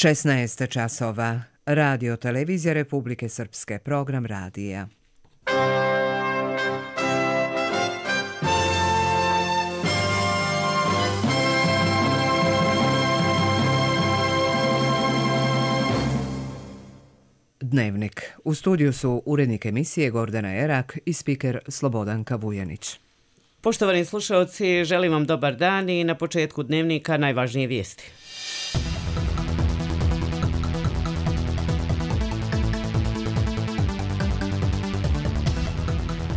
16 časova. Radio Televizija Republike Srpske. Program radija. Dnevnik. U studiju su urednik emisije Gordana Erak i spiker Slobodanka Vujanić. Poštovani slušalci, želim vam dobar dan i na početku dnevnika najvažnije vijesti.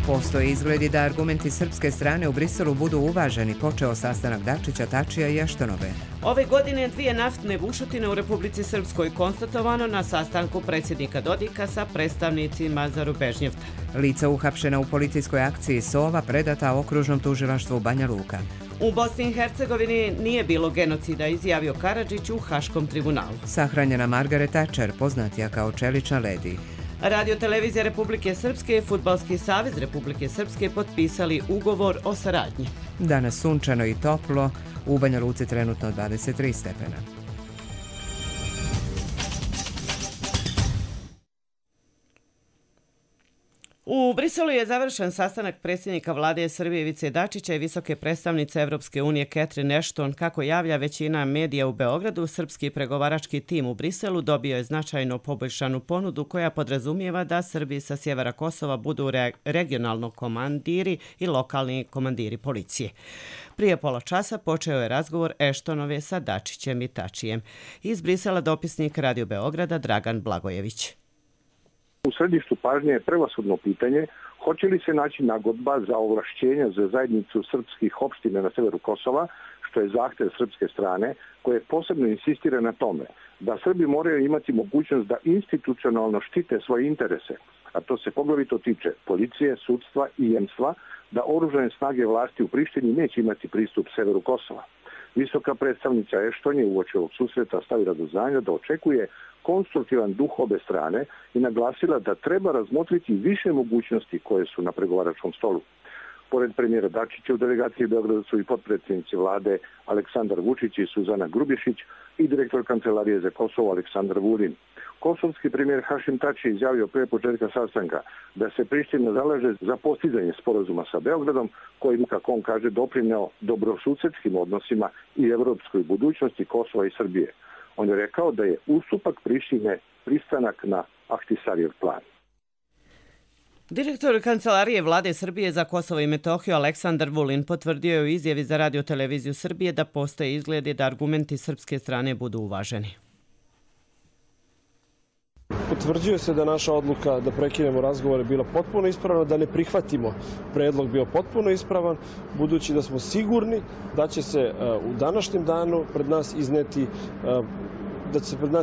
Postoji izgledi da argumenti srpske strane u Briselu budu uvaženi, počeo sastanak Dačića, Tačija i Eštonove. Ove godine 2 naftne bušotine u Republici Srpskoj konstatovano na sastanku predsjednika Dodika sa predstavnicima Zarubežnjevta. Lica uhapšena u policijskoj akciji Sova predata okružnom tužilaštvu Banja Luka. U Bosni i Hercegovini nije bilo genocida, izjavio Karadžić u Haškom tribunalu. Sahranjena Margaret Thatcher, poznatija kao čelična ledi. Radio Televizija Republike Srpske i Fudbalski savez Republike Srpske potpisali ugovor o saradnji. Danas sunčano i toplo, u Banja Luci trenutno 23 stepena. U Briselu je završen sastanak predsjednika vlade Srbije Ivice Dačića i visoke predstavnice Evropske unije Catherine Ashton. Kako javlja većina medija u Beogradu, srpski pregovarački tim u Briselu dobio je značajno poboljšanu ponudu koja podrazumijeva da Srbi sa sjevera Kosova budu regionalno komandiri i lokalni komandiri policije. Prije pola časa počeo je razgovor Ashtonove sa Dačićem i Tačijem. Iz Brisela dopisnik Radio Beograda Dragan Blagojević. U središtu pažnje je prevashodno pitanje hoće li se naći nagodba za ovlašćenja za zajednicu srpskih opština na severu Kosova, što je zahtjev srpske strane, koje posebno insistira na tome da Srbi moraju imati mogućnost da institucionalno štite svoje interese, a to se poglavito tiče policije, sudstva i jemstva, da oružane snage vlasti u Prištini neće imati pristup severu Kosova. Visoka predstavnica Ešton je uoči ovog susreta stavila do znanja da očekuje konstruktivan duh obe strane i naglasila da treba razmotriti više mogućnosti koje su na pregovaračkom stolu. Pored premijera Dačića u delegaciji Beograda su i potpredsjednici vlade Aleksandar Vučić i Suzana Grubješić i direktor Kancelarije za Kosovo Aleksandar Vulin. Kosovski premijer Hašim Tači izjavio prije početka sastanka da se Priština zalaže za postizanje sporazuma sa Beogradom, kojim, kako on kaže, doprineo dobrosusedskim odnosima i evropskoj budućnosti Kosova i Srbije. On je rekao da je ustupak Prištine pristanak na Ahtisarijev plan. Direktor Kancelarije vlade Srbije za Kosovo i Metohiju Aleksandar Vulin potvrdio je u izjavi za Radio Televiziju Srbije da postoje izgledi da argumenti srpske strane budu uvaženi. Potvrđuje se da naša odluka da prekinemo razgovore bila potpuno ispravna, da ne prihvatimo predlog bio potpuno ispravan, budući da smo sigurni da će se u današnjem danu pred nas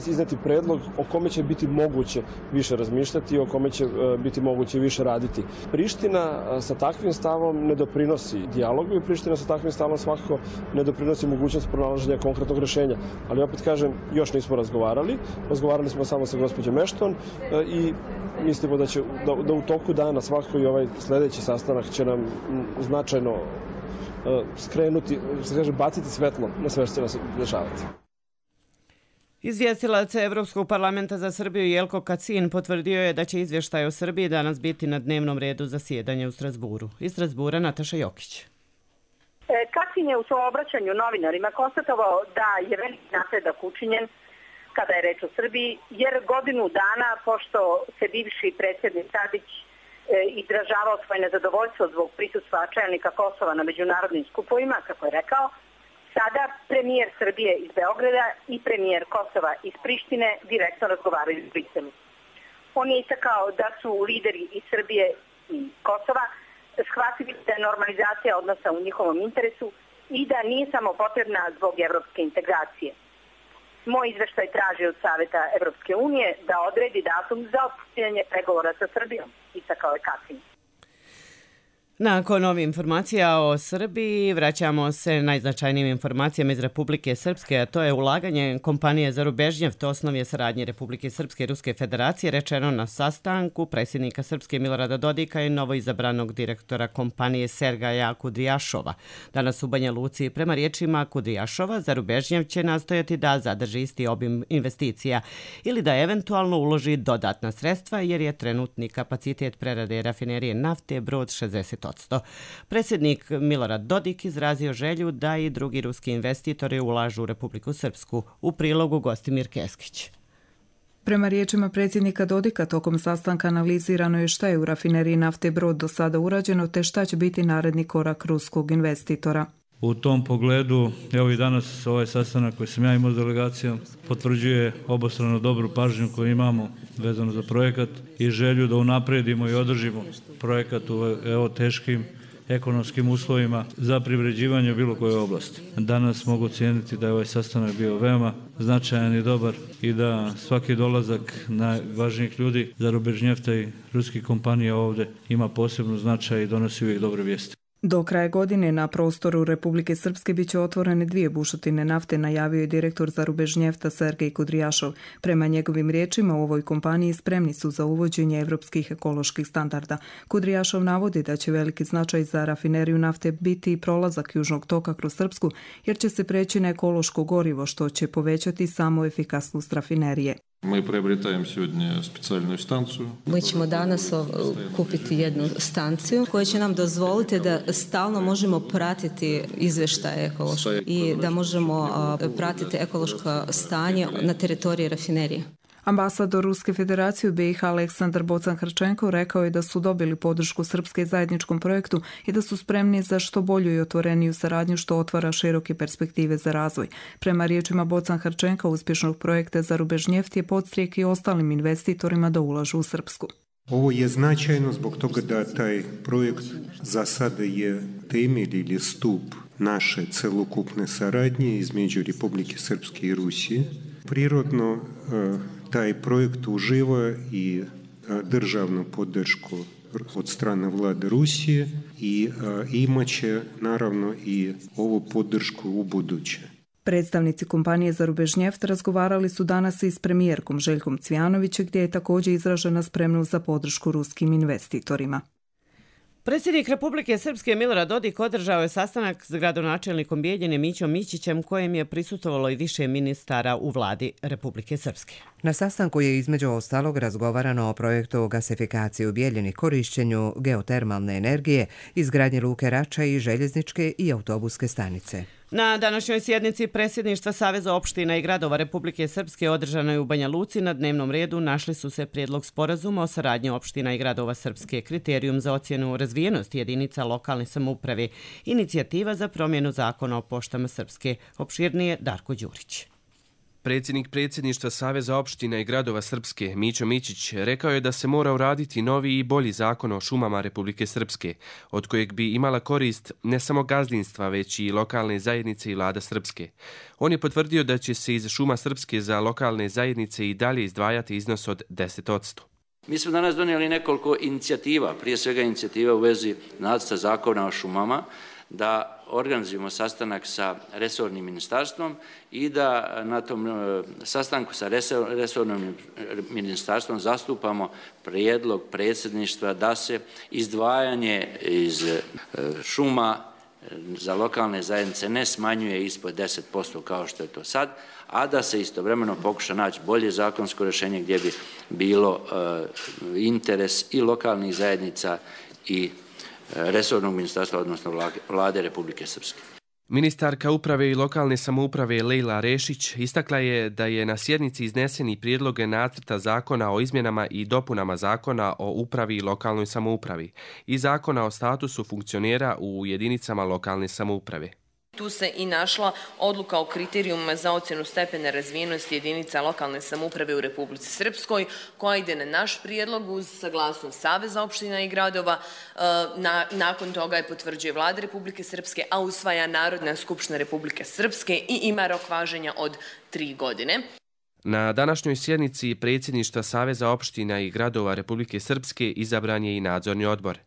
izneti predlog o kome će biti moguće više razmišljati i o kome će biti moguće više raditi. Priština sa takvim stavom ne doprinosi dijalogu i Priština sa takvim stavom svakako ne doprinosi mogućnost pronalaženja konkretnog rješenja. Ali opet kažem, još nismo razgovarali. Razgovarali smo samo sa gospođom Ashton i mislimo da u toku dana svakako i ovaj sljedeći sastanak će nam značajno skrenuti, baciti svetlo na sve što će nas dešavati. Izvjestilac Evropskog parlamenta za Srbiju Jelko Kacin potvrdio je da će izvještaj o Srbiji danas biti na dnevnom redu zasjedanja u Strasburu. Iz Strasbura Nataša Jokić. Kacin je u svom obraćanju novinarima konstatovao da je veliki napredak učinjen kada je reč o Srbiji, jer godinu dana, pošto se bivši predsjednik Tadić izražavao svoje nezadovoljstvo zbog prisustva čelnika Kosova na međunarodnim skupovima, kako je rekao, sada premijer Srbije iz Beograda i premijer Kosova iz Prištine direktno razgovaraju u Briselu. On je istakao da su lideri iz Srbije i Kosova shvatili da je normalizacija odnosa u njihovom interesu i da nije samo potrebna zbog evropske integracije. Moj izveštaj traži od Saveta Evropske unije da odredi datum za otpočinjanje pregovora sa Srbijom, istakao je Kacin. Nakon ovih informacija o Srbiji vraćamo se najznačajnijim informacijama iz Republike Srpske, a to je ulaganje kompanije Zarubežnjeft, osnov je saradnje Republike Srpske i Ruske federacije, rečeno na sastanku predsjednika Srpske Milorada Dodika i novoizabranog direktora kompanije Sergeja Kudrijašova. Danas u Banja Luci, prema riječima Kudrijašova, Zarubežnjeft će nastojati da zadrži isti obim investicija ili da eventualno uloži dodatna sredstva jer je trenutni kapacitet prerade rafinerije nafte brod 60%. Predsjednik Milorad Dodik izrazio želju da i drugi ruski investitori ulažu u Republiku Srpsku. U prilogu Gostimir Keskić. Prema riječima predsjednika Dodika, tokom sastanka analizirano je šta je u rafineriji nafte brod do sada urađeno te šta će biti naredni korak ruskog investitora. U tom pogledu, evo i danas ovaj sastanak koji sam ja imao s delegacijom potvrđuje obostrano dobru pažnju koju imamo vezano za projekat i želju da unapredimo i održimo projekat u teškim ekonomskim uslovima za privređivanje u bilo kojoj oblasti. Danas mogu cijeniti da je ovaj sastanak bio veoma značajan i dobar i da svaki dolazak najvažnijih ljudi Zarubežnjefta i ruskih kompanija ovdje ima posebnu značaj i donosi uvijek dobre vijesti. Do kraja godine na prostoru Republike Srpske biće otvorene 2 bušotine nafte, najavio je direktor Zarubežnjefta Sergej Kudrijašov. Prema njegovim riječima, u ovoj kompaniji spremni su za uvođenje evropskih ekoloških standarda. Kudrijašov navodi da će veliki značaj za rafineriju nafte biti prolazak južnog toka kroz Srpsku, jer će se preći na ekološko gorivo, što će povećati samo efikasnost rafinerije. Mi ćemo danas kupiti jednu stanciju koja će nam dozvoliti da stalno možemo pratiti izvještaje ekološke i da možemo pratiti ekološko stanje na teritoriji rafinerije. Ambasador Ruske federacije u BiH Aleksandar Bocan-Hrčenko rekao je da su dobili podršku Srpske zajedničkom projektu i da su spremni za što bolju i otvoreniju saradnju što otvara široke perspektive za razvoj. Prema riječima Bocan-Hrčenka, uspješnog projekta Zarubežnjeft je podstrijek i ostalim investitorima da ulažu u Srpsku. Ovo je značajno zbog toga da taj projekt za sada je temelj ili stup naše celokupne saradnje između Republike Srpske i Rusije. Prirodno taj projekt uživa i državnu podršku od strane vlade Rusije i imaće naravno i ovu podršku u buduće. Predstavnici kompanije Zarubežnjeft razgovarali su danas i s premijerkom Željkom Cvijanovićem, gdje je također izražena spremnost za podršku ruskim investitorima. Predsjednik Republike Srpske Milorad Dodik održao je sastanak s gradonačelnikom Bijeljine Mićom Mićićem, kojem je prisustvovalo i više ministara u vladi Republike Srpske. Na sastanku je između ostalog razgovarano o projektu gasifikacije u Bijeljini, korišćenju geotermalne energije, izgradnji luke Rača i željezničke i autobuske stanice. Na današnjoj sjednici predsjedništva Saveza opština i gradova Republike Srpske održanoj u Banja Luci na dnevnom redu našli su se prijedlog sporazuma o saradnji opština i gradova Srpske, kriterijum za ocjenu razvijenosti jedinica lokalne samouprave, inicijativa za promjenu zakona o poštama Srpske. Opširnije Darko Đurić. Predsjednik predsjedništva Saveza opština i gradova Srpske, Mićo Mićić, rekao je da se mora uraditi novi i bolji zakon o šumama Republike Srpske, od kojeg bi imala korist ne samo gazdinstva, već i lokalne zajednice i vlada Srpske. On je potvrdio da će se iz šuma Srpske za lokalne zajednice i dalje izdvajati iznos od 10%. Mi smo danas donijeli nekoliko inicijativa, prije svega inicijativa u vezi nacrta zakona o šumama, da organizujemo sastanak sa resornim ministarstvom i da na tom sastanku sa resornim ministarstvom zastupamo prijedlog predsjedništva da se izdvajanje iz šuma za lokalne zajednice ne smanjuje ispod 10% kao što je to sad, a da se istovremeno pokuša naći bolje zakonsko rješenje gdje bi bilo interes i lokalnih zajednica i resornog ministarstva, odnosno vlade Republike Srpske. Ministarka uprave i lokalne samouprave Lejla Rešić istakla je da je na sjednici izneseni prijedloge nacrta zakona o izmjenama i dopunama zakona o upravi i lokalnoj samoupravi i zakona o statusu funkcionera u jedinicama lokalne samouprave. Tu se i našla odluka o kriterijumima za ocjenu stepena razvijenosti jedinica lokalne samouprave u Republici Srpskoj, koja ide na naš prijedlog uz saglasnost Saveza opština i gradova. Nakon toga je potvrđuje Vlada Republike Srpske, a usvaja Narodna skupština Republike Srpske i ima rok važenja od 3 godine. Na današnjoj sjednici predsjedništva Saveza opština i gradova Republike Srpske izabran je i nadzorni odbor.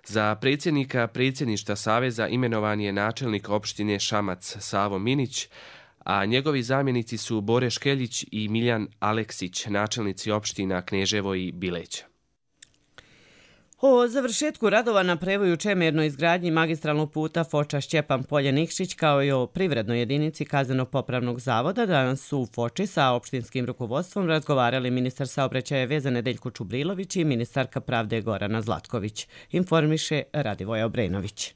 Za predsjednika predsjedništva Saveza imenovan je načelnik opštine Šamac Savo Minić, a njegovi zamjenici su Bore Škeljić i Miljan Aleksić, načelnici opština Kneževo i Bileć. O završetku radova na prevoju čemernoj izgradnji magistralnog puta Foča Šćepan Polje Nikšić kao i o privrednoj jedinici Kazneno-popravnog zavoda danas su u Foči sa opštinskim rukovodstvom razgovarali ministar saobraćaja veza Nedeljko Čubrilović i ministarka pravde Gorana Zlatković, informiše Radivoja Obrenović.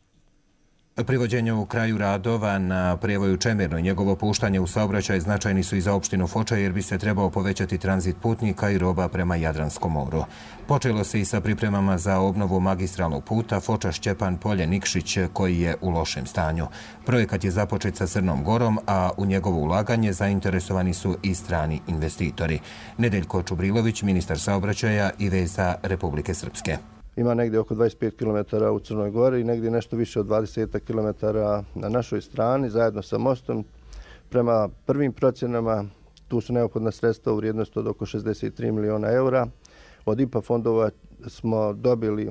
Privođenje u kraju radova na prevoju Čemerno i njegovo puštanje u saobraćaj značajni su i za opštinu Foča jer bi se trebao povećati tranzit putnika i roba prema Jadranskom moru. Počelo se i sa pripremama za obnovu magistralnog puta Foča Šćepan Polje Nikšić koji je u lošem stanju. Projekat je započet sa Crnom Gorom, a u njegovo ulaganje zainteresovani su i strani investitori. Nedeljko Čubrilović, ministar saobraćaja i veza Republike Srpske. Ima negdje oko 25 km u Crnoj Gori i negdje nešto više od 20 km na našoj strani, zajedno sa mostom. Prema prvim procjenama tu su neophodna sredstva u vrijednosti od oko 63 miliona eura. Od IPA fondova smo dobili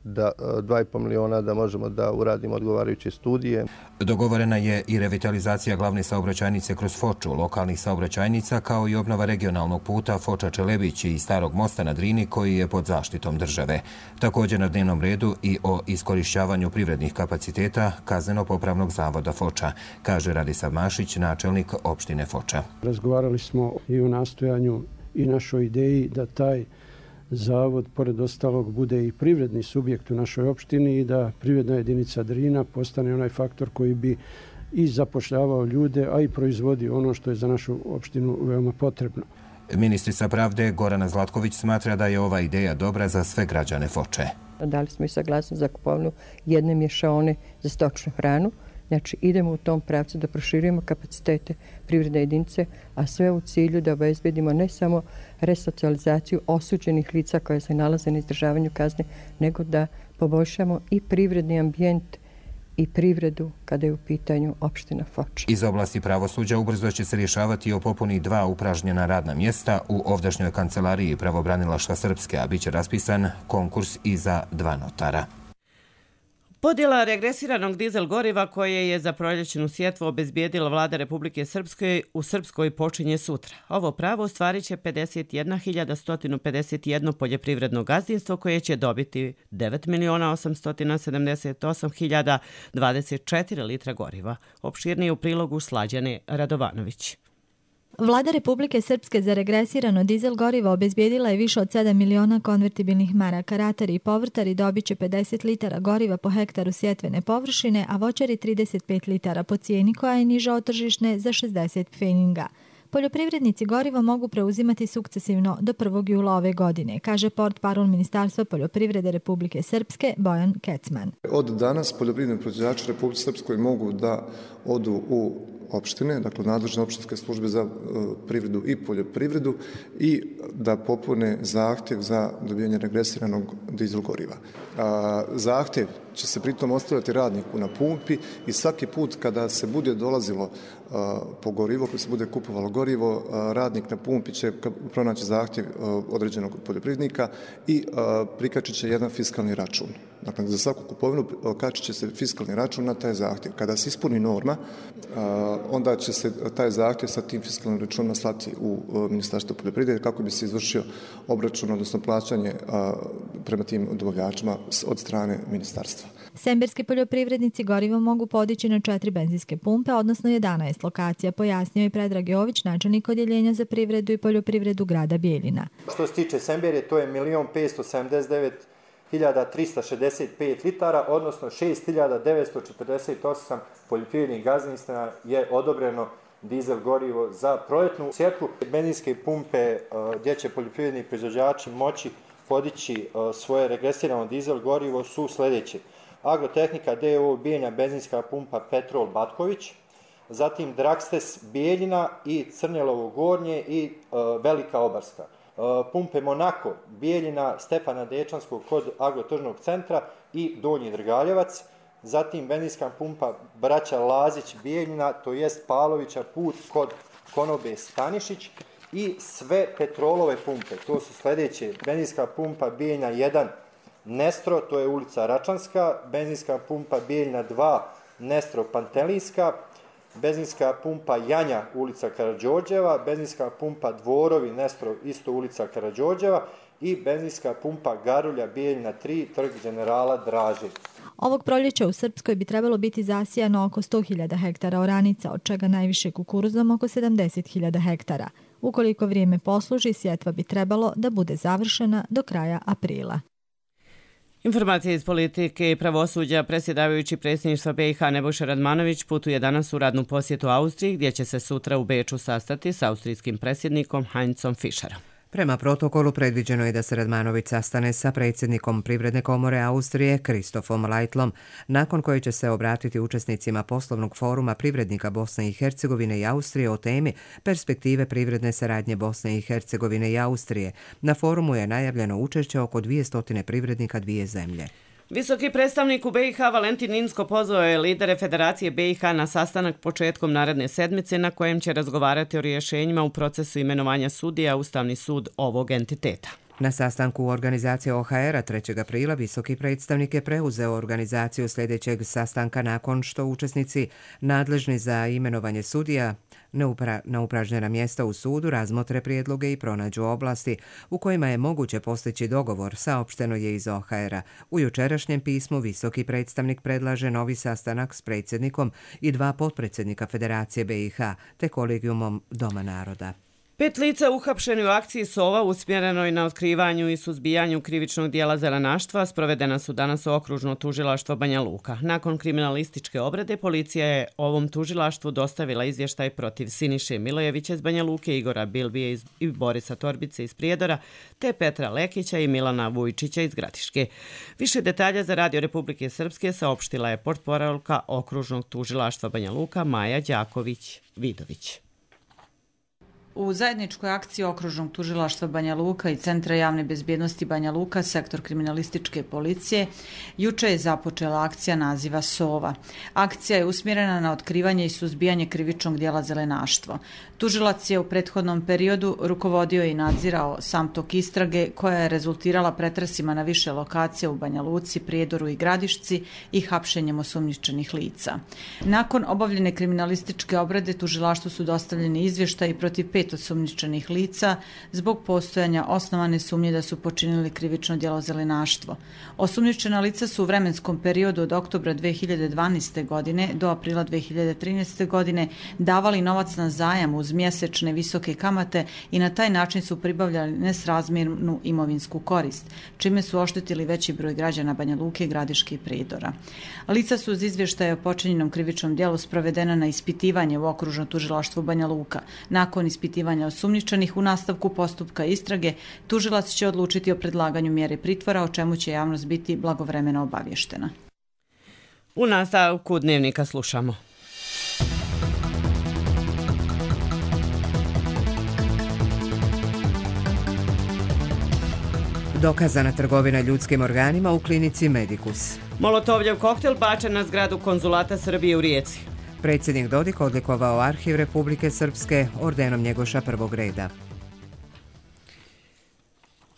2,5 miliona da možemo da uradimo odgovarajuće studije. Dogovorena je i revitalizacija glavne saobraćajnice kroz Foču, lokalnih saobraćajnica, kao i obnova regionalnog puta Foča-Čelebić i starog mosta na Drini koji je pod zaštitom države. Također na dnevnom redu i o iskorišćavanju privrednih kapaciteta Kazneno-popravnog zavoda Foča, kaže Radisav Mašić, načelnik opštine Foča. Razgovarali smo i o nastojanju i našoj ideji da taj zavod, pored ostalog, bude i privredni subjekt u našoj opštini i da privredna jedinica Drina postane onaj faktor koji bi i zapošljavao ljude, a i proizvodio ono što je za našu opštinu veoma potrebno. Ministrica pravde Gorana Zlatković smatra da je ova ideja dobra za sve građane Foče. Dali smo i saglasnost za kupovinu jedne mješaone za stočnu hranu. Znači, idemo u tom pravcu da proširujemo kapacitete privredne jedinice, a sve u cilju da obezbedimo ne samo resocijalizaciju osuđenih lica koja se nalaze na izdržavanju kazne, nego da poboljšamo i privredni ambijent i privredu kada je u pitanju opština Foča. Iz oblasti pravosuđa ubrzo će se rješavati o popuni 2 upražnjena radna mjesta u ovdašnjoj kancelariji Pravobranilaštva Srpske, a bit će raspisan konkurs i za 2 notara. Podjela regresiranog dizel goriva koje je za proljećnu sjetvu obezbijedila vlada Republike Srpske u Srpskoj počinje sutra. Ovo pravo ostvarit će 51.151 poljoprivredno gazdinstvo koje će dobiti 9.878.024 litra goriva. Opširnije u prilogu Slađane Radovanović. Vlada Republike Srpske za regresirano dizel gorivo obezbijedila je više od 7 miliona konvertibilnih maraka. Ratari i povrtari dobit će 50 litara goriva po hektaru sjetvene površine, a voćari 35 litara po cijeni koja je niža od tržišne za 60 pfeninga. Poljoprivrednici gorivo mogu preuzimati sukcesivno do 1. jula ove godine, kaže portparol Ministarstva poljoprivrede Republike Srpske Bojan Kecman. Od danas poljoprivredni proizvođači Republike Srpskoj mogu da odu u opštine, dakle nadležne opštinske službe za privredu i poljoprivredu i da popune zahtjev za dobijanje regresiranog dizel goriva. Zahtjev će se pritom ostavljati radniku na pumpi i svaki put kada se bude dolazilo po gorivo, kada se bude kupovalo gorivo, radnik na pumpi će pronaći zahtjev određenog poljoprivrednika i prikačit će jedan fiskalni račun. Dakle, za svaku kupovinu kačit će se fiskalni račun na taj zahtjev. Kada se ispuni norma, onda će se taj zahtjev sa tim fiskalnim računom slati u Ministarstvo poljoprivrede kako bi se izvršio obračun, odnosno plaćanje prema tim dobavljačima od strane ministarstva. Semberski poljoprivrednici gorivo mogu podići na 4 benzinske pumpe, odnosno 11 lokacija, pojasnio je Predrag Jović, načelnik odjeljenja za privredu i poljoprivredu grada Bijeljina. Što se tiče Semberje, to je 1.579.365 litara, odnosno 6.948 poljoprivrednih gazdinstava je odobreno dizel gorivo za proljetnu sjetvu. Benzinske pumpe gdje će poljoprivredni proizvođači moći podići svoje regresirano dizel gorivo su sljedeće. Agrotehnika D.O. Bijeljina benzinska pumpa Petrol Batković, zatim Drakstes Bijeljina i Crnjelovo Gornje i Velika Obarska. Pumpe Monako Bijeljina Stefana Dečanskog kod Agrotržnog centra i Donji Drgaljevac, zatim benzinska pumpa Braća Lazić Bijeljina, to jest Palovića put kod Konobe Stanišić i sve petrolove pumpe. To su sljedeće: benzinska pumpa Bijeljina 1 Nestro, to je ulica Račanska, benzinska pumpa Bijeljna 2, Nestro Pantelinska, benzinska pumpa Janja, ulica Karađorđeva, benzinska pumpa Dvorovi, Nestro, isto ulica Karađorđeva i benzinska pumpa Garulja, Bijeljna 3, trg generala Draže. Ovog proljeća u Srpskoj bi trebalo biti zasijano oko 100.000 hektara oranica, od čega najviše kukuruzom oko 70.000 hektara. Ukoliko vrijeme posluži, sjetva bi trebalo da bude završena do kraja aprila. Informacije iz politike i pravosuđa. Predsjedavajući predsjedništva BiH Nebojša Radmanović putuje danas u radnu posjetu Austriji, gdje će se sutra u Beču sastati s austrijskim predsjednikom Heinzom Fischerom. Prema protokolu predviđeno je da se Radmanović sastane sa predsjednikom Privredne komore Austrije Kristofom Lajtlom, nakon koje će se obratiti učesnicima poslovnog foruma privrednika Bosne i Hercegovine i Austrije o temi perspektive privredne saradnje Bosne i Hercegovine i Austrije. Na forumu je najavljeno učešće oko 200 privrednika dvije zemlje. Visoki predstavnik u BiH Valentin Inzko pozvao je lidere Federacije BiH na sastanak početkom naredne sedmice na kojem će razgovarati o rješenjima u procesu imenovanja sudija Ustavni sud ovog entiteta. Na sastanku organizacije OHR-a 3. aprila visoki predstavnik je preuzeo organizaciju sljedećeg sastanka nakon što učesnici nadležni za imenovanje sudija na upražnjena mjesta u sudu razmotre prijedloge i pronađu oblasti u kojima je moguće postići dogovor, saopšteno je iz OHR-a. U jučerašnjem pismu visoki predstavnik predlaže novi sastanak s predsjednikom i 2 potpredsjednika Federacije BiH te kolegijumom Doma naroda. 5 lica uhapšeni u akciji Sova usmjerenoj na otkrivanju i suzbijanju krivičnog dijela zelenaštva sprovedena su danas u okružno tužilaštvo Banja Luka. Nakon kriminalističke obrade policija je ovom tužilaštvu dostavila izvještaj protiv Siniše Milojevića iz Banja Luke, Igora Bilbije i Borisa Torbice iz Prijedora, te Petra Lekića i Milana Vujčića iz Gradiške. Više detalja za Radio Republike Srpske saopštila je portparolka okružnog tužilaštva Banja Luka Maja Đaković-Vidović. U zajedničkoj akciji okružnog tužilaštva Banja Luka i Centra javne bezbjednosti Banja Luka, sektor kriminalističke policije, juče je započela akcija naziva Sova. Akcija je usmjerena na otkrivanje i suzbijanje krivičnog dijela zelenaštvo. Tužilac je u prethodnom periodu rukovodio i nadzirao sam tok istrage koja je rezultirala pretresima na više lokacija u Banja Luci, Prijedoru i Gradišci i hapšenjem osumnjičenih lica. Nakon obavljene kriminalističke obrade tužilaštvu su dostavljeni izvještaji protiv 5 osumnjičenih lica zbog postojanja osnovane sumnje da su počinili krivično djelo zelenaštvo. Osumnjičena lica su u vremenskom periodu od oktobra 2012. godine do aprila 2013. godine davali novac na zajam uz mjesečne visoke kamate i na taj način su pribavljali nesrazmjernu imovinsku korist, čime su oštetili veći broj građana Banja Luke, Gradiške i Prijedora. Lica su uz izvještaje o počinjenom krivičnom djelu sprovedena na ispitivanje u okružno tužilaštvu Banja Luka. Nakon ispitivanja osumnjičenih u nastavku postupka istrage, tužilac će odlučiti o predlaganju mjere pritvora, o čemu će javnost biti blagovremeno obavještena. U nastavku dnevnika slušamo. Dokazana trgovina ljudskim organima u klinici Medicus. Molotovljev koktel bačen na zgradu konzulata Srbije u Rijeci. Predsjednik Dodik odlikovao Arhiv Republike Srpske ordenom Njegoša prvog reda.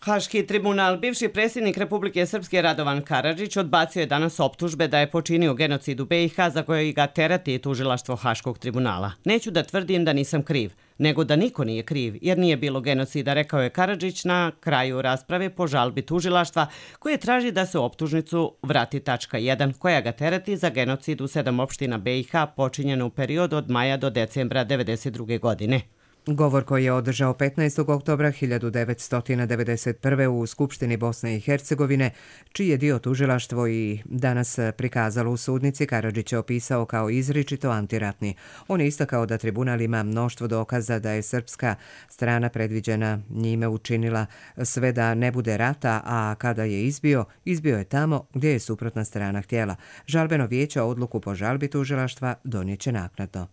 Haški tribunal, bivši predsjednik Republike Srpske Radovan Karadžić odbacio je danas optužbe da je počinio genocid u BiH za koje ga terati tužilaštvo Haškog tribunala. Neću da tvrdim da nisam kriv, nego da niko nije kriv, jer nije bilo genocida, rekao je Karadžić na kraju rasprave po žalbi tužilaštva koje traži da se u optužnicu vrati tačka 1 koja ga terati za genocid u 7 opština BiH počinjeno u periodu od maja do decembra 1992. godine. Govor koji je održao 15. oktobra 1991. u Skupštini Bosne i Hercegovine, čiji je dio tužilaštvo i danas prikazalo u sudnici, Karadžić je opisao kao izričito antiratni. On je istakao da tribunal ima mnoštvo dokaza da je srpska strana predviđena njime učinila sve da ne bude rata, a kada je izbio je tamo gdje je suprotna strana htjela. Žalbeno vijeće odluku po žalbi tužilaštva donijeće naknadno.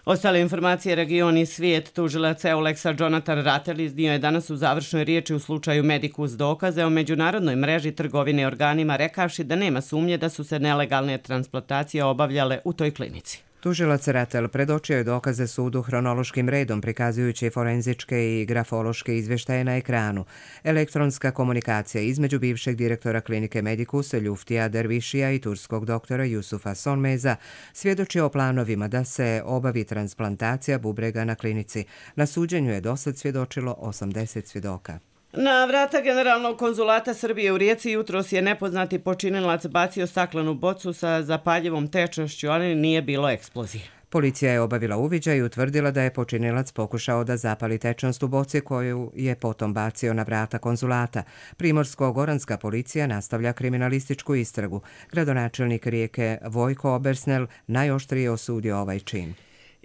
Ostale informacije region i svijet. Tužilac Euleksa Jonathan Rattel iznio je danas u završnoj riječi u slučaju Medicus dokaze o međunarodnoj mreži trgovine organima, rekavši da nema sumnje da su se nelegalne transplantacije obavljale u toj klinici. Tužilac Ratel predočio je dokaze sudu hronološkim redom, prikazujući forenzičke i grafološke izveštaje na ekranu. Elektronska komunikacija između bivšeg direktora klinike Medikus Ljuftija Dervišija i turskog doktora Jusufa Sonmeza svjedoči o planovima da se obavi transplantacija bubrega na klinici. Na suđenju je dosad svjedočilo 80 svjedoka. Na vrata Generalnog konzulata Srbije u Rijeci jutros je nepoznati počinilac bacio staklenu bocu sa zapaljivom tečnošću, ali nije bilo eksplozije. Policija je obavila uviđaj i utvrdila da je počinilac pokušao da zapali tečnost u boci koju je potom bacio na vrata konzulata. Primorsko-goranska policija nastavlja kriminalističku istragu. Gradonačelnik Rijeke Vojko Obersnel najoštrije osudio ovaj čin.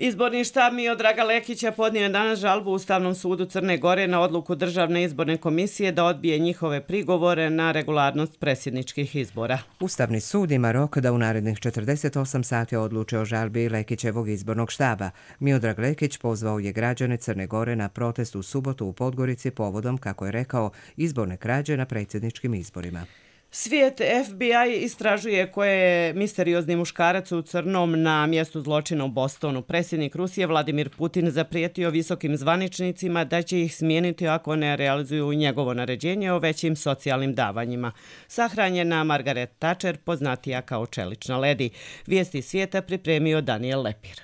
Izborni štab Miodraga Lekića podnio je danas žalbu Ustavnom sudu Crne Gore na odluku Državne izborne komisije da odbije njihove prigovore na regularnost predsjedničkih izbora. Ustavni sud ima rok da u narednih 48 sati odluče o žalbi Lekićevog izbornog štaba. Miodrag Lekić pozvao je građane Crne Gore na protest u subotu u Podgorici povodom, kako je rekao, izborne krađe na predsjedničkim izborima. Svijet FBI istražuje ko je misteriozni muškarac u crnom na mjestu zločina u Bostonu. Predsjednik Rusije Vladimir Putin zaprijetio visokim zvaničnicima da će ih smijeniti ako ne realizuju njegovo naređenje o većim socijalnim davanjima. Sahranjena Margaret Thatcher, poznatija kao čelična ledi. Vijesti svijeta pripremio Daniel Lepir.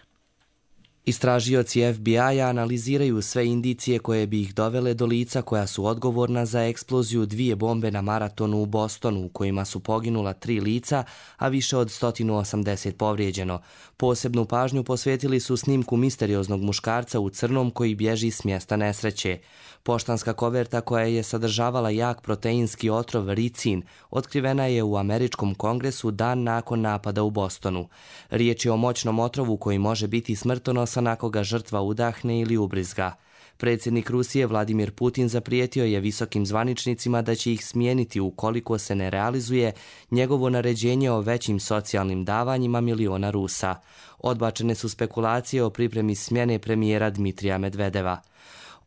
Istražioci FBI-a analiziraju sve indicije koje bi ih dovele do lica koja su odgovorna za eksploziju 2 bombe na maratonu u Bostonu, u kojima su poginula 3 lica, a više od 180 povrijeđeno. Posebnu pažnju posvetili su snimku misterioznog muškarca u crnom koji bježi s mjesta nesreće. Poštanska koverta koja je sadržavala jak proteinski otrov ricin otkrivena je u Američkom kongresu dan nakon napada u Bostonu. Riječ je o moćnom otrovu koji može biti smrtonosan ako ga žrtva udahne ili ubrizga. Predsjednik Rusije Vladimir Putin zaprijetio je visokim zvaničnicima da će ih smijeniti ukoliko se ne realizuje njegovo naređenje o većim socijalnim davanjima miliona Rusa. Odbačene su spekulacije o pripremi smjene premijera Dmitrija Medvedeva.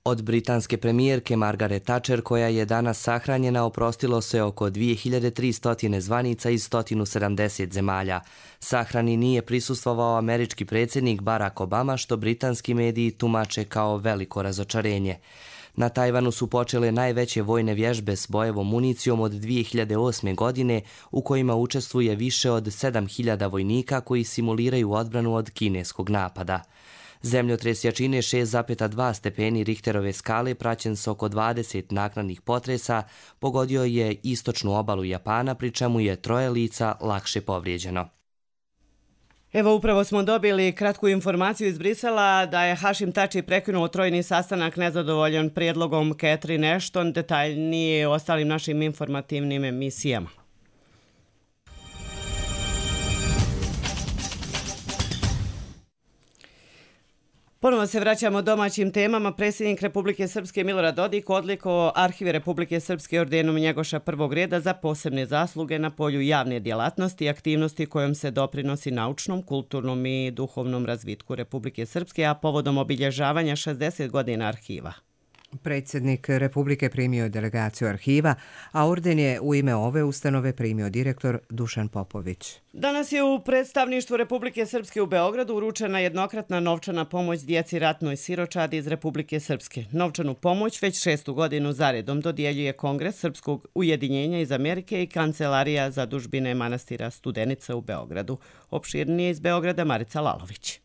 Od britanske premijerke Margaret Thatcher, koja je danas sahranjena, oprostilo se oko 2300 zvanica iz 170 zemalja. Sahrani nije prisustvovao američki predsjednik Barack Obama, što britanski mediji tumače kao veliko razočarenje. Na Tajvanu su počele najveće vojne vježbe s bojevom municijom od 2008. godine, u kojima učestvuje više od 7000 vojnika koji simuliraju odbranu od kineskog napada. Zemljotres jačine 6,2 stepeni Richterove skale, praćen s oko 20 naknadnih potresa, pogodio je istočnu obalu Japana, pri čemu je 3 lica lakše povrijeđeno. Evo, upravo smo dobili kratku informaciju iz Brisela da je Hašim Tači prekinuo trojni sastanak nezadovoljan prijedlogom Catherine Ashton, detaljnije o ostalim našim informativnim emisijama. Ponovo se vraćamo domaćim temama. Predsjednik Republike Srpske Milorad Dodik odlikovao Arhive Republike Srpske ordenom Njegoša prvog reda za posebne zasluge na polju javne djelatnosti i aktivnosti kojom se doprinosi naučnom, kulturnom i duhovnom razvitku Republike Srpske, a povodom obilježavanja 60 godina arhiva. Predsjednik Republike primio je delegaciju arhiva, a orden je u ime ove ustanove primio direktor Dušan Popović. Danas je u predstavništvu Republike Srpske u Beogradu uručena jednokratna novčana pomoć djeci ratnoj siročadi iz Republike Srpske. Novčanu pomoć već 6. godinu zaredom dodjeljuje Kongres Srpskog ujedinjenja iz Amerike i Kancelarija zadužbine manastira Studenica u Beogradu. Opširnije iz Beograda Marica Lalović.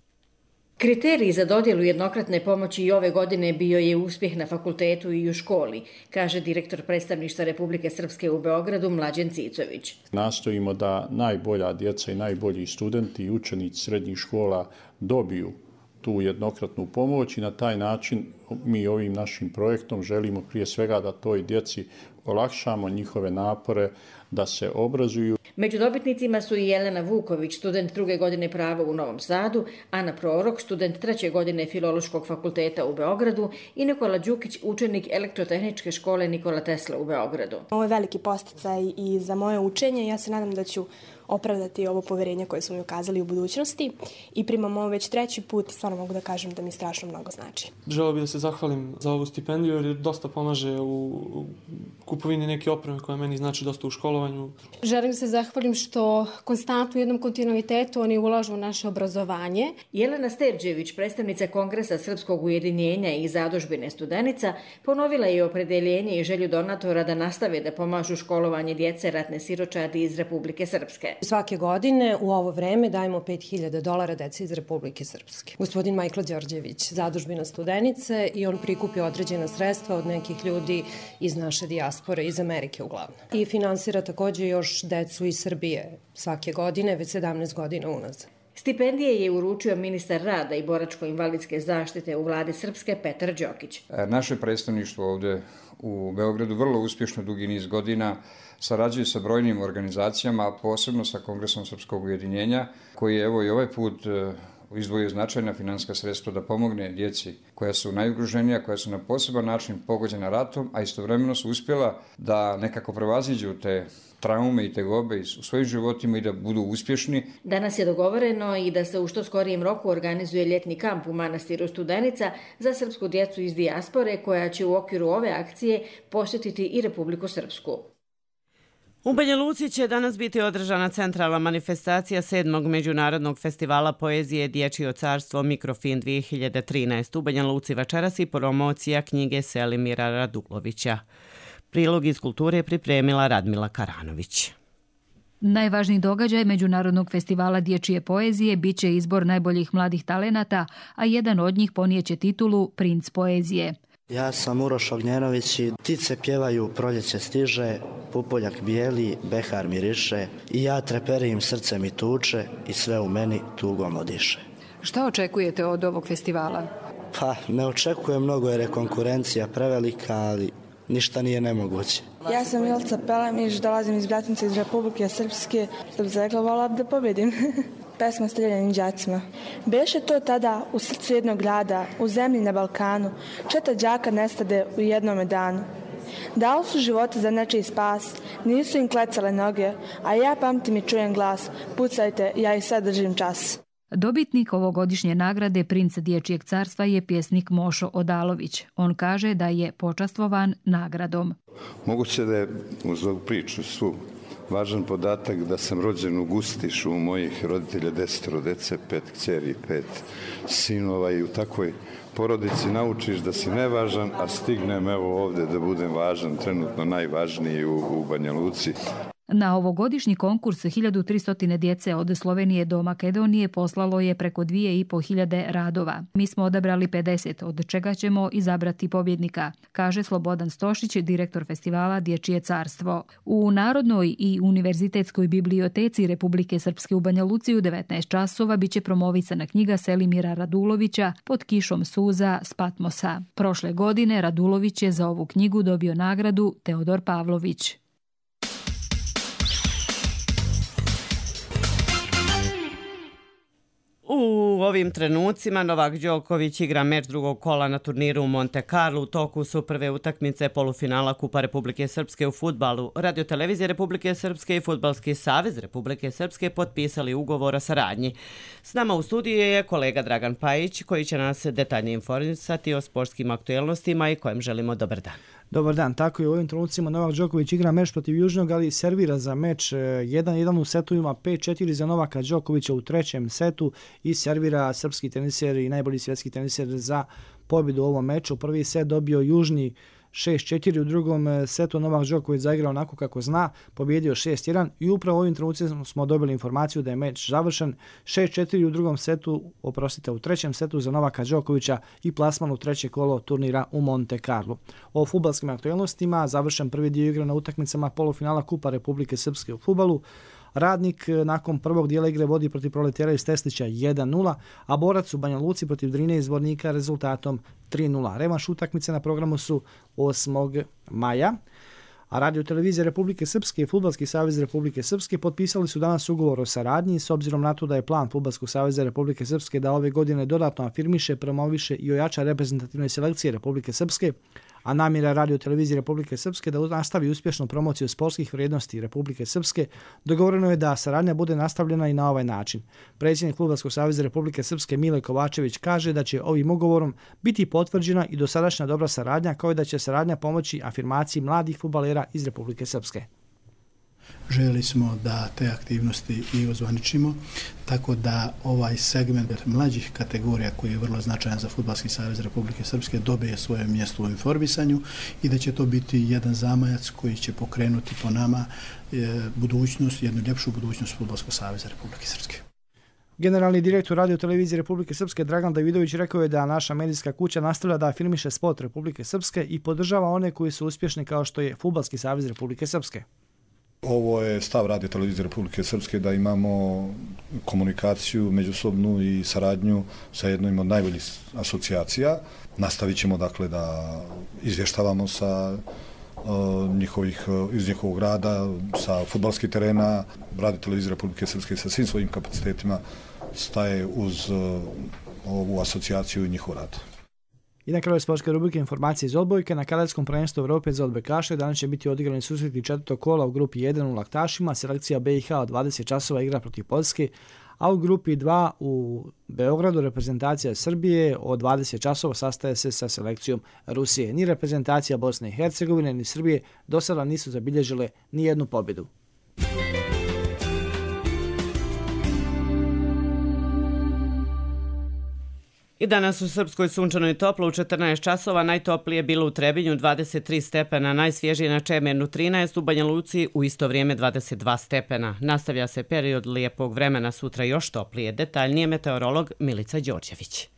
Kriterij za dodjelu jednokratne pomoći i ove godine bio je uspjeh na fakultetu i u školi, kaže direktor predstavništva Republike Srpske u Beogradu Mlađen Cicović. Nastojimo da najbolja djeca i najbolji studenti i učenici srednjih škola dobiju tu jednokratnu pomoć i na taj način mi ovim našim projektom želimo prije svega da toj djeci olakšamo njihove napore da se obrazuju. Među dobitnicima su i Jelena Vuković, student 2. godine prava u Novom Sadu, Ana Prorok, student 3. godine Filološkog fakulteta u Beogradu i Nikola Đukić, učenik Elektrotehničke škole Nikola Tesla u Beogradu. Ovo je veliki posticaj i za moje učenje. Ja se nadam da ću opravdati ovo poverenje koje su mi ukazali u budućnosti i primam ovo već 3. put i stvarno mogu da kažem da mi strašno mnogo znači. Želeo bih da se zahvalim za ovu stipendiju jer dosta pomaže u kupovini neke opreme koja meni znači dosta u školovanju. Želim se zahvalim što konstantno u jednom kontinuitetu oni ulažu u naše obrazovanje. Jelena Sterđević, predstavnica Kongresa Srpskog ujedinjenja i Zadužbine Studenica, ponovila je opredeljenje i želju donatora da nastave da pomažu školovanje djece ratne siročadi iz Republike Srpske. Svake godine u ovo vreme dajemo $5.000 deci iz Republike Srpske. Gospodin Majkla Đorđević, Zadužbina Studenice, i on prikupi određena sredstva od nekih ljudi iz naše dijaspore, iz Amerike uglavnom. I finansira također još decu iz Srbije svake godine, već 17 godina unazad. Stipendije je uručio ministar rada i boračko-invalidske zaštite u vladi Srpske Petar Đokić. Naše predstavništvo ovdje u Beogradu vrlo uspješno dugi niz godina sarađuje sa brojnim organizacijama, a posebno sa Kongresom Srpskog ujedinjenja, koji je evo i ovaj put izdvojio značajna financijska sredstva da pomogne djeci koja su najugroženija, koja su na poseban način pogođena ratom, a istovremeno su uspjela da nekako prevaziđu te traume i tegobe u svojim životima i da budu uspješni. Danas je dogovoreno i da se u što skorijem roku organizuje ljetni kamp u manastiru Studenica za srpsku djecu iz dijaspore koja će u okviru ove akcije posjetiti i Republiku Srpsku. U Banja Luci će danas biti održana centralna manifestacija 7. Međunarodnog festivala poezije Dječje carstvo Mikrofin 2013. U Banja Luci večeras i promocija knjige Selimira Radulovića. Prilog iz kulture je pripremila Radmila Karanović. Najvažniji događaj Međunarodnog festivala dječje poezije biće izbor najboljih mladih talenata, a jedan od njih ponijeće titulu Princ poezije. Ja sam Uroš Ognjenović i ptice pjevaju, proljeće stiže, pupoljak bijeli, behar miriše i ja treperim, srce mi tuče i sve u meni tugom odiše. Šta očekujete od ovog festivala? Pa ne očekujem mnogo jer je konkurencija prevelika, ali ništa nije nemoguće. Ja sam Milica Pelemić, dolazim iz Bratinca iz Republike Srpske, što bi rekla, volila bi da pobedim. Pesma Streljanim đacima. Beše to tada u srcu jednog grada, u zemlji na Balkanu, 4 đaka nestade u jednome danu. Dali su živote za nečiji spas, nisu im klecale noge, a ja pamtim i čujem glas, pucajte, ja i sad držim čas. Dobitnik ovogodišnje nagrade Princ dječjeg carstva je pjesnik Mošo Odalović. On kaže da je počastvovan nagradom. Moguće da je uz ovu priču svu važan podatak da sam rođen u Gustišu, u mojih roditelja 10 dece, 5 kćeri, 5 sinova i u takvoj porodici naučiš da si nevažan, a stignem evo ovdje da budem važan, trenutno najvažniji u Banja Luci. Na ovogodišnji konkurs 1300 djece od Slovenije do Makedonije poslalo je preko 2500 radova. Mi smo odabrali 50, od čega ćemo izabrati pobjednika, kaže Slobodan Stošić, direktor festivala Dječje carstvo. U Narodnoj i univerzitetskoj biblioteci Republike Srpske u Banja Luci u 19 časova biće promovisana knjiga Selimira Radulovića Pod kišom suza s Patmosa. Prošle godine Radulović je za ovu knjigu dobio nagradu Teodor Pavlović. U ovim trenucima Novak Đoković igra meč drugog kola na turniru u Monte Carlo. U toku su prve utakmice polufinala Kupa Republike Srpske u fudbalu. Radiotelevizija Republike Srpske i Fudbalski savez Republike Srpske potpisali ugovor o saradnji. S nama u studiju je kolega Dragan Pajić koji će nas detaljnije informisati o sportskim aktuelnostima i kojem želimo dobar dan. Dobar dan, tako je u ovim trenucima Novak Đoković igra meč protiv Južnog, ali servira za meč 1-1 u setovima, 5-4 za Novaka Đokovića u trećem setu i servira srpski teniser i najbolji svjetski teniser za pobjedu u ovom meču. Prvi set dobio Južni 6-4, u drugom setu Novak Đoković zaigrao onako kako zna, pobjedio 6-1 i upravo u ovim trenucima smo dobili informaciju da je meč završen 6-4 u drugom setu, u trećem setu za Novaka Đokovića i plasman u treće kolo turnira u Monte Carlo. O fudbalskim aktualnostima završen prvi dio igre na utakmicama polufinala Kupa Republike Srpske u fudbalu. Radnik nakon prvog dijela igre vodi protiv Proletera iz Teslića 1-0, a Borac u Banja Luci protiv Drine iz Zvornika rezultatom 3-0. Revanš utakmice na programu su 8. maja. A Radiotelevizija Republike Srpske i Fudbalski savez Republike Srpske potpisali su danas ugovor o saradnji s obzirom na to da je plan Fudbalskog saveza Republike Srpske da ove godine dodatno afirmiše, promoviše i ojača reprezentativne selekcije Republike Srpske, a namjera Radio televizije Republike Srpske da nastavi uspješnu promociju sportskih vrijednosti Republike Srpske, dogovoreno je da saradnja bude nastavljena i na ovaj način. Predsjednik Fudbalskog saveza Republike Srpske Mile Kovačević kaže da će ovim ugovorom biti potvrđena i dosadašnja dobra saradnja, kao i da će saradnja pomoći afirmaciji mladih fudbalera iz Republike Srpske. Željeli smo da te aktivnosti i ozvaničimo, tako da ovaj segment mlađih kategorija koji je vrlo značajan za Fudbalski savez Republike Srpske dobije svoje mjesto u informisanju i da će to biti jedan zamajac koji će pokrenuti po nama budućnost, jednu ljepšu budućnost Fudbalskog saveza Republike Srpske. Generalni direktor Radio televizije Republike Srpske Dragan Davidović rekao je da naša medijska kuća nastavlja da afirmiše sport Republike Srpske i podržava one koji su uspješni kao što je Fudbalski savez Republike Srpske. Ovo je stav Radio televizije Republike Srpske da imamo komunikaciju međusobnu i saradnju sa jednom od najboljih asocijacija. Nastavit ćemo dakle da izvještavamo sa iz njihovog rada, sa fudbalskih terena. Radio televizija Republike Srpske sa svim svojim kapacitetima staje uz ovu asocijaciju i njihov rad. I na kraju sportske rubrike informacije iz odbojke. Na kadetskom prvenstvu Evrope za odbojkaše danas će biti odigrani susreti četvrtog kola u grupi 1 u Laktašima. Selekcija BiH od 20 časova igra protiv Poljske, a u grupi 2 u Beogradu reprezentacija Srbije od 20 časova sastaje se sa selekcijom Rusije. Ni reprezentacija Bosne i Hercegovine ni Srbije do sada nisu zabilježile ni jednu pobjedu. I danas u Srpskoj sunčano i toplo u 14 časova, najtoplije je bilo u Trebinju 23 stepena, najsvježije na Čemernu 13, u Banja Luci u isto vrijeme 22 stepena. Nastavlja se period lijepog vremena, sutra još toplije. Detaljnije meteorolog Milica Đorđević.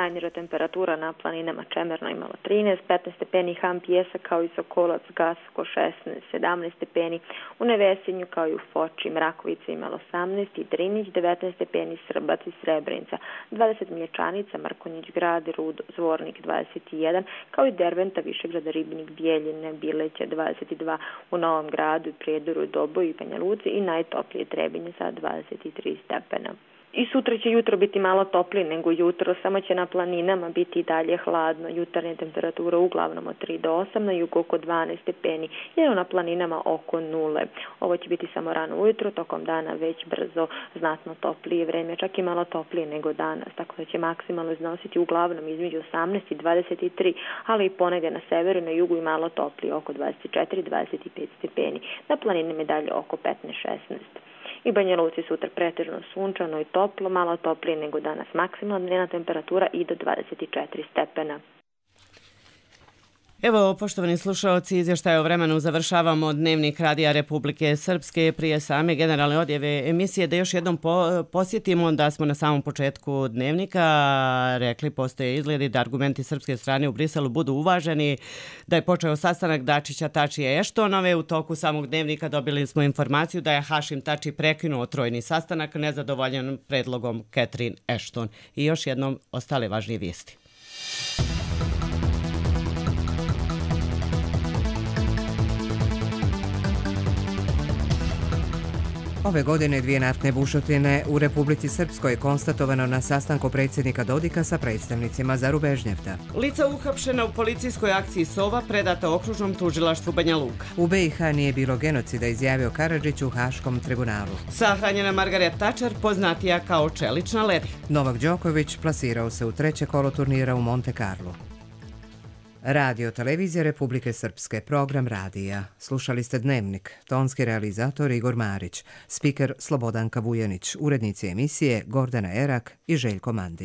Najniža temperatura na planinama Čemerno imala 13, 15 stepeni Ham Pjesak kao i Sokolac, Gasko 16, 17 stepeni, u Nevesinju kao i u Foči, Mrakovica imala 18 i Drinić 19 stepeni, Srbac i Srebrenica, 20 Mlječanica, Mrkonjić Grad, Rud, Zvornik 21, kao i Derventa, Višegrada, Ribnik, Bijeljine, Bileća 22, u Novom Gradu i Prijedoru, Doboju i Banja Luci i najtoplije Trebinje sa 23 stepena. I sutra će jutro biti malo toplije nego jutro, samo će na planinama biti i dalje hladno. Jutarnja temperatura uglavnom od 3 do 8, na jugu oko 12 stepeni, jer na planinama oko 0. Ovo će biti samo rano ujutro, tokom dana već brzo znatno toplije vreme, čak i malo toplije nego danas, tako da će maksimalno iznositi uglavnom između 18 i 23, ali i ponegdje na severu, na jugu i malo toplije, oko 24-25 stepeni, na planinama i dalje oko 15-16. I Banja Luci sutra pretežno sunčano i toplo, malo toplije nego danas, maksimalna dnevna temperatura i do 24 stepena. Evo, poštovani slušalci, izvještaj o vremenu završavamo Dnevnik Radija Republike Srpske. Prije same generalne odjave emisije da još jednom posjetimo da smo na samom početku Dnevnika rekli, postoje izgledi da argumenti srpske strane u Briselu budu uvaženi, da je počeo sastanak Dačića, Tačija i Eštonove. U toku samog Dnevnika dobili smo informaciju da je Hašim Tači prekinuo trojni sastanak nezadovoljan predlogom Catherine Ashton. I još jednom ostale važnije vijesti. Ove godine 2 naftne bušotine u Republici Srpskoj konstatovano na sastanku predsjednika Dodika sa predstavnicima Zarubežnjevta. Lica uhapšena u policijskoj akciji Sova predata okružnom tužilaštvu Banja Luka. U BiH nije bilo genocida, izjavio Karadžić u Haškom tribunalu. Sahranjena Margaret Thatcher, poznatija kao čelična ledi. Novak Đoković plasirao se u 3. kolo turnira u Monte Carlo. Radio televizija Republike Srpske, program radija. Slušali ste Dnevnik, tonski realizator Igor Marić, spiker Slobodanka Vujanić, urednici emisije Gordana Erak i Željko Mandi.